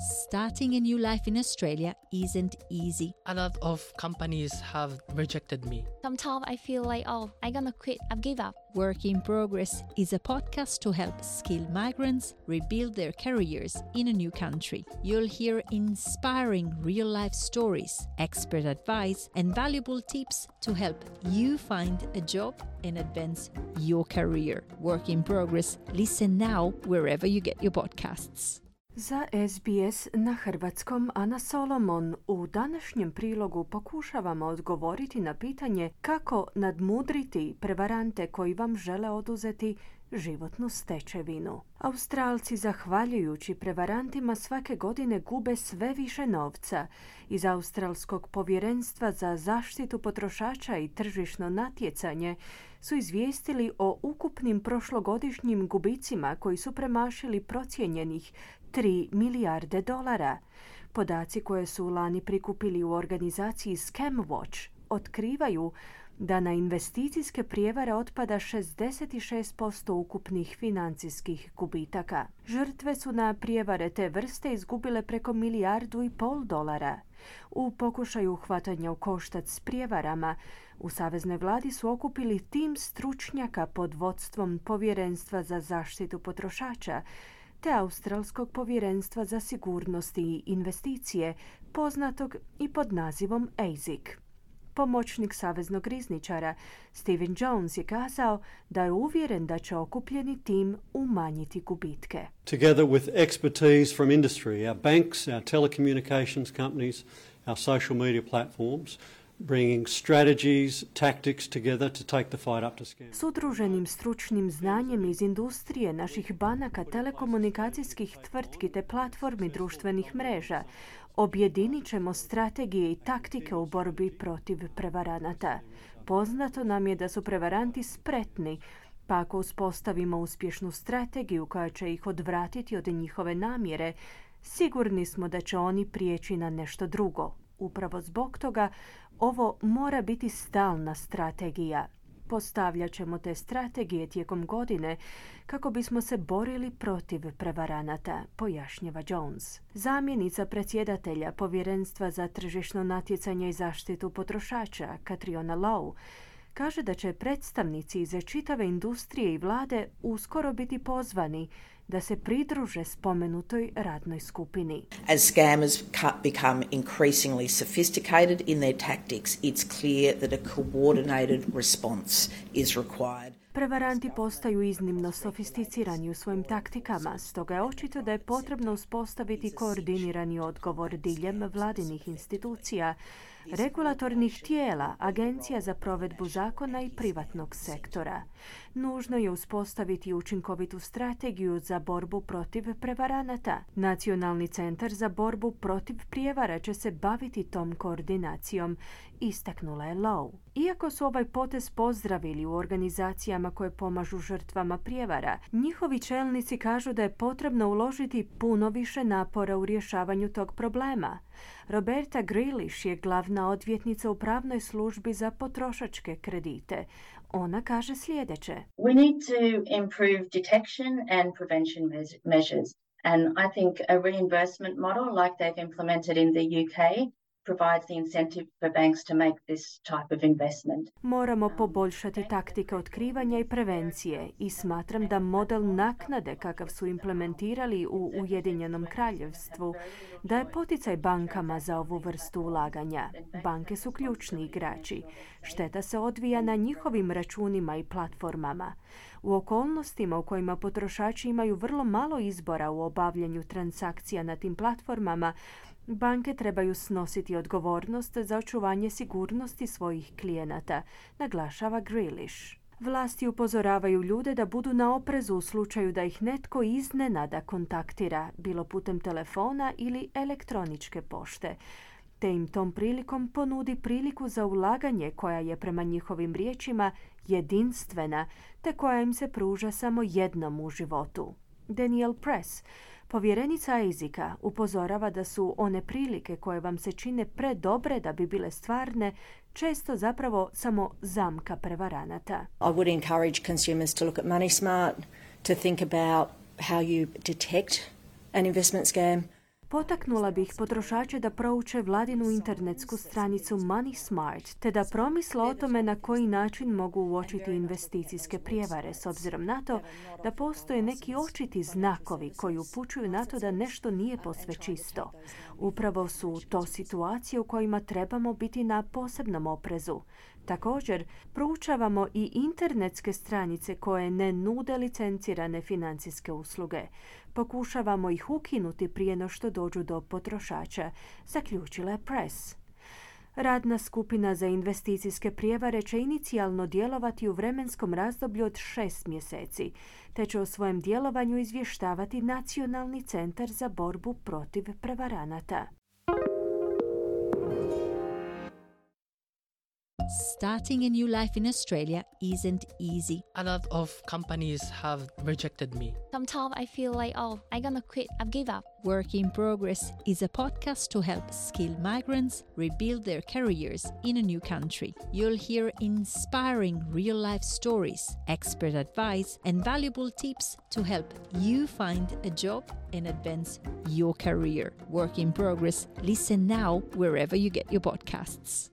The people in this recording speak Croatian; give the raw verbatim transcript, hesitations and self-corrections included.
Starting a new life in Australia isn't easy. A lot of companies have rejected me. Sometimes I feel like, oh, I'm gonna quit, I've give up. Work in Progress is a podcast to help skilled migrants rebuild their careers in a new country. You'll hear inspiring real-life stories, expert advice, and valuable tips to help you find a job and advance your career. Work in Progress. Listen now wherever you get your podcasts. Za S B S na hrvatskom Ana Solomon. U današnjem prilogu pokušavamo odgovoriti na pitanje kako nadmudriti prevarante koji vam žele oduzeti životnu stečevinu. Australci, zahvaljujući prevarantima, svake godine gube sve više novca. Iz Australskog povjerenstva za zaštitu potrošača i tržišno natjecanje su izvijestili o ukupnim prošlogodišnjim gubicima koji su premašili procijenjenih tri milijarde dolara. Podaci koje su lani prikupili u organizaciji Scamwatch otkrivaju da na investicijske prijevare otpada šezdeset šest posto ukupnih financijskih gubitaka. Žrtve su na prijevare te vrste izgubile preko milijardu i pol dolara. U pokušaju hvatanja u koštac s prijevarama, u Saveznoj vladi su okupili tim stručnjaka pod vodstvom Povjerenstva za zaštitu potrošača te Australskog povjerenstva za sigurnost i investicije, poznatog i pod nazivom A S I C. Pomoćnik saveznog rizničara Stephen Jones je kazao da je uvjeren da će okupljeni tim umanjiti gubitke. Together with expertise from industry, our banks, our telecommunications companies, our social media platforms, bringing strategies, tactics together to take the fight up to scale. S udruženim stručnim znanjem iz industrije, naših banaka, telekomunikacijskih tvrtki te platformi društvenih mreža, objedinit ćemo strategije i taktike u borbi protiv prevaranata. Poznato nam je da su prevaranti spretni, pa ako uspostavimo uspješnu strategiju koja će ih odvratiti od njihove namjere, sigurni smo da će oni prijeći na nešto drugo. Upravo zbog toga ovo mora biti stalna strategija. Postavljat ćemo te strategije tijekom godine kako bismo se borili protiv prevaranata, pojašnjava Jones. Zamjenica predsjedatelja Povjerenstva za tržišno natjecanje i zaštitu potrošača, Catriona Lowe, kaže da će predstavnici iz čitave industrije i vlade uskoro biti pozvani da se pridruže spomenutoj radnoj skupini. As scammers become increasingly sophisticated in their tactics, it's clear that a coordinated response is required. Prevaranti postaju iznimno sofisticirani u svojim taktikama, stoga je očito da je potrebno uspostaviti koordinirani odgovor diljem vladinih institucija, regulatornih tijela, agencija za provedbu zakona i privatnog sektora. Nužno je uspostaviti učinkovitu strategiju za borbu protiv prevaranata. Nacionalni centar za borbu protiv prijevara će se baviti tom koordinacijom, istaknula je Lowe. Iako su ovaj potez pozdravili u organizacijama koje pomažu žrtvama prijevara, njihovi čelnici kažu da je potrebno uložiti puno više napora u rješavanju tog problema. Roberta Grealish je glavna odvjetnica u pravnoj službi za potrošačke kredite. Ona kaže sljedeće. We need to improve detection and prevention measures. And I think a reimbursement model like they've implemented in the U K provides the incentive for banks to make this type of investment. Moramo poboljšati taktike otkrivanja i prevencije i smatram da model naknade kakav su implementirali u Ujedinjenom kraljevstvu daje poticaj bankama za ovu vrstu ulaganja. Banke su ključni igrači. Šteta se odvija na njihovim računima i platformama. U okolnostima u kojima potrošači imaju vrlo malo izbora u obavljanju transakcija na tim platformama, banke trebaju snositi odgovornost za očuvanje sigurnosti svojih klijenata, naglašava Grealish. Vlasti upozoravaju ljude da budu na oprezu u slučaju da ih netko iznenada kontaktira, bilo putem telefona ili elektroničke pošte, te im tom prilikom ponudi priliku za ulaganje koja je prema njihovim riječima jedinstvena, te koja im se pruža samo jednom u životu. Danielle Press, povjerenica A S I C-a, upozorava da su one prilike koje vam se čine predobre da bi bile stvarne često zapravo samo zamka prevaranata. I would encourage consumers to look at Money Smart, to think about how you detect an investment scam. Potaknula bih potrošače da prouče vladinu internetsku stranicu Money Smart, te da promisle o tome na koji način mogu uočiti investicijske prijevare, s obzirom na to da postoje neki očiti znakovi koji upućuju na to da nešto nije posve čisto. Upravo su to situacije u kojima trebamo biti na posebnom oprezu. Također, proučavamo i internetske stranice koje ne nude licencirane financijske usluge. Pokušavamo ih ukinuti prije no što dođu do potrošača, zaključila je Press. Radna skupina za investicijske prijevare će inicijalno djelovati u vremenskom razdoblju od šest mjeseci, te će o svojem djelovanju izvještavati Nacionalni centar za borbu protiv prevaranata. Starting a new life in Australia isn't easy. A lot of companies have rejected me. Sometimes I feel like, oh, I'm gonna quit. I've give up. Work in Progress is a podcast to help skilled migrants rebuild their careers in a new country. You'll hear inspiring real-life stories, expert advice, and valuable tips to help you find a job and advance your career. Work in Progress. Listen now wherever you get your podcasts.